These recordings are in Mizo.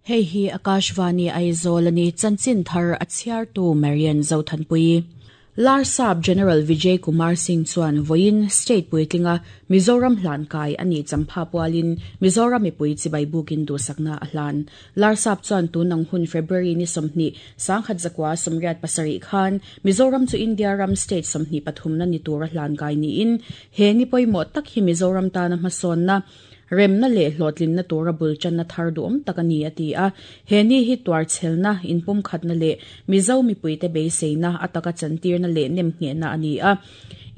Hei hi Akashvani Aizawl a ni, chanchin thar a chhiartu Marian Zothanpuii. Larsap General Vijay Kumar Singh chuan vawiin state puitlinga Mizoram hlan kai a nih champha pualin Mizoram mipui chibai bukin duhsakna a hlan. Larsap chuan tunang hun February ni 20, 1987 khan Mizoram chu India ram state 23 na ni tura hlan kai niin he ni pawimawh tak hi Mizoram tana hmasawnna Remna leh hlawhtlinna tura bul tanna thar duhawm tak a ni, a ti a. He ni hi tuarchhelna, inpumkhatna leh Mizo mipuite beiseina a taka chantirna leh nemnghehna a ni a.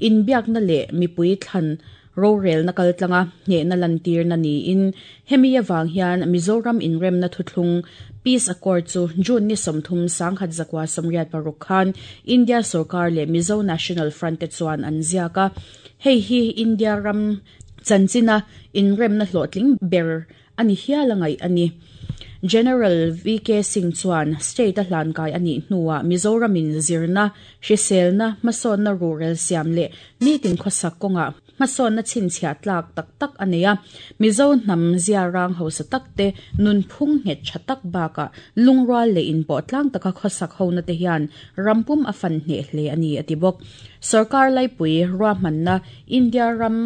Inbiakna leh mipui thlan rorelna kaltlanga hnehna lantirna niin hemi avang hian Mizoram inremna thuthlung Peace Accord chu June ni 30, 1986 khan India sorkar leh Mizo National Front te chuan an ziak a. Hei hi India ram Chanchina inremna hlawhtling ber a ni hial a ngaih a ni. General VK Singh chuan state a hlankai a nih hnuah Mizoramin zirna, hriselna, hmasawnna ruhrel siam leh nitin khawsak kawngah hmasawnna chhinchhiah tlak tak tak a nei a. Mizo hnam ziarang hausa tak te, nunphung nghet tha tak bakah lungrual leh inpawh tlang taka khawsak hona te hian rampum a fan hneh hle a ni a ti bawk. Sorkar laipui ruahmanna India ram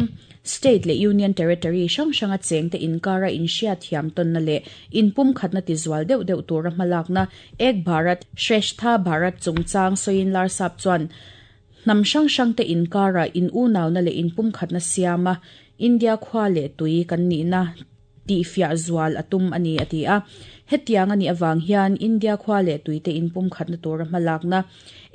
State leh Union Territory hrang hranga chengte inkara inhriatthiam tawnna leh inpumkhatna tizual deuh deuh tura hmalakna Ek Bharat Shreshtha Bharat chungchang sawiin Larsap chuan hnam hrang hrangte inkara in unauna leh inpumkhatna siama India khua leh tui kan nihna tihfiah zual a tum a ni a ti a. Hetiang a nih avang hian India khua leh tuite inpumkhatna tura hmalakna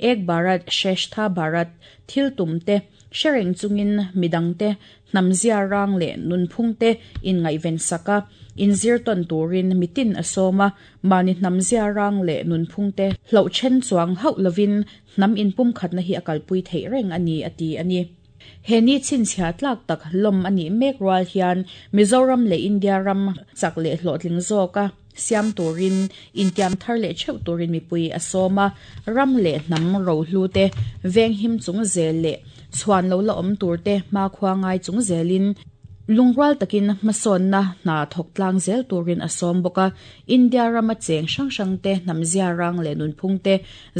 Ek Bharat Shreshtha Bharat thil tumte hre reng chungin midangte hnamzia rang leh nunphungte inngaihven sak a, inzir tawn turin mitin a sawm a, mahni hnamzia rang leh nunphungte hloh then chuang hauh lovin hnam inpumkhatna hi a kalpui theih reng a ni a ti a ni. He ni chhinchhiah tlak tak lawm a nih mek rual hian Mizoram leh India ram chak leh hlawhtling zawka siam turin intiam thar leh theuh turin mipui a sawm a, ram leh hnam rohlu te venghim chung zel leh chhuan lo la awm tur te hmakhua ngai chung zelin lungrual takin hmasawnna hna thawk tlang zel turin a sawm bawk a. India rama cheng hrang hrang te hnamzia rang leh nunphung te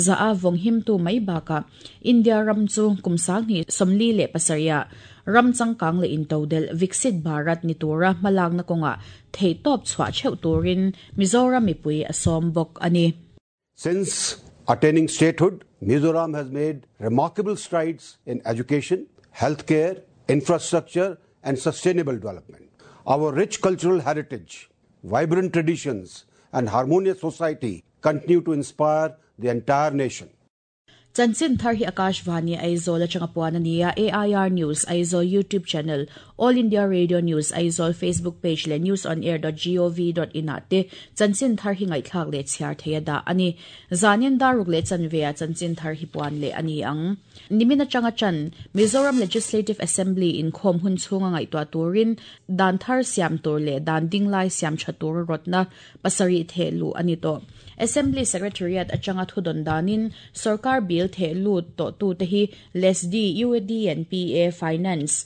zah a vawnghimtu mai bakah India ram chu kum 2047 ah ram changkang leh intodelh Viksit Bharat ni tura hmalakna kawngah theihtawp chhuah theuh turin Mizoram mipui a sawm bawk a ni. Since attaining statehood, Mizoram has made remarkable strides in education, healthcare, infrastructure and sustainable development. Our rich cultural heritage, vibrant traditions and harmonious society continue to inspire the entire nation. Chanchin thar hi Akashvani Aizawl atanga puan a ni a, AIR News Aizawl YouTube channel, All India Radio News Aizawl Facebook page leh newsonair.gov.in ah te chanchin thar hi ngaihthlak leh chhiar thei a dah a ni. Zanin daruk leh chanve ah chanchin thar hi puan leh a ni ang. Nimin atanga tan Mizoram Legislative Assembly inkhawm hun chhunga ngaihtuah turin dan thar siam tur leh dan dinglai siam tha tura rawtna pasarih theh luh a ni tawh. Assembly Secretariat atanga thudawn danin sorkar bill theh lut tawhtute hi LESD, UAD and PA, Finance,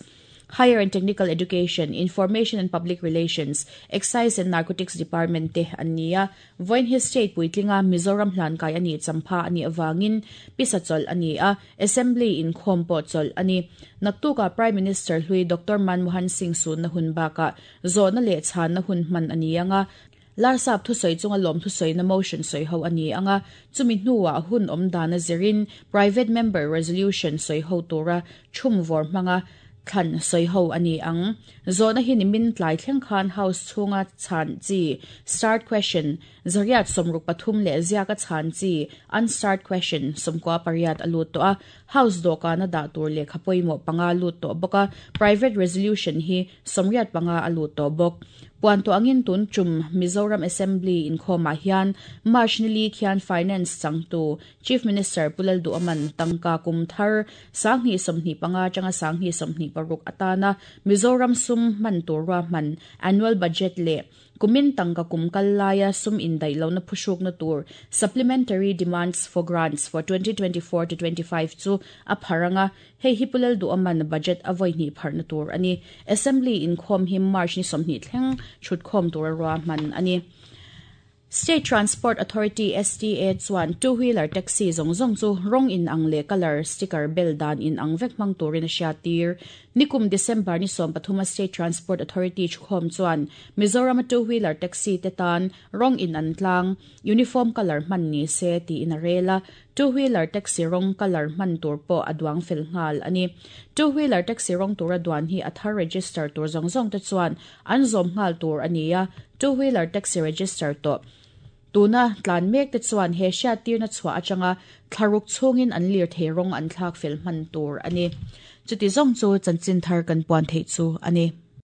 Higher and Technical Education, Information and Public Relations, Excise and Narcotics Department te an ni a. Vawiin hi state puitlinga Mizoram hlankai a nih champha a nih avangin pisa chawlh a ni a, Assembly inkhawm pawh chawlh a ni. Naktukah Prime Minister hlui Doctor Manmohan Singh sunna hun bakah Zawhna leh chhanna hun hman a ni ang a, Larsap thusawi chunga lawm thusawina motion sawi ho a ni ang a, chumi hnuah hun awm dana zirin private member resolution sawi ho tura thum vawr hmanga thlan sawi ho a ni ang. Zawhna hi nimin tlai thleng khan House chhunga chhan chi, starred question, 163 leh ziaka chhan chi, unstarred question, 98 a lut tawh a, House dawhkana dah tur lehkha pawimawh panga lut tawh bawk a, private resolution hi 85 a lut tawh bawk. Puan tawh angin tun tum Mizoram Assembly inkhawmah hian March ni li khian Finance changtu Chief Minister Pu Lalduhaman tangka kum thar 2025 atanga 2026 atana Mizoram sum hman tur ruahman Annual Budget leh Kumin tangka kum kal laia sum indaih lohna phuhrukna tur Supplementary Demands for Grants for 2024 to 25 chu a phar ang a, hei hi Pu Lalduhaman budget a vawi hnih pharhna tur a ni. Assembly inkhawm hi March ni 20 thleng chhutkhawm tura ruahman a ni. State Transport Authority, STA, chuan two wheeler taxi zawng zawng chu rawng in ang leh colour sticker bel dan in ang vek hmang turin a hriattir. Nikum December ni 13 a State Transport Authority thukhawm chuan Mizoram a two wheeler taxi te tan rawng in an tlang, uniform colour, hman ni se tiin a rel a, two wheeler taxi rawng, colour, hman tur pawh a duang fel nghal a ni. Two wheeler taxi rawng tura duan hi a thar register tur zawng zawng te chuan an zawm nghal tur a ni a, two wheeler taxi register tawh tuna tlan mek te chuan he hriattirna chhuah atanga thlaruk chhungin an lirthei rawng an thlak fel hman tur a ni. Chuti zawng chu chanchin thar kan puan theih chu a ni.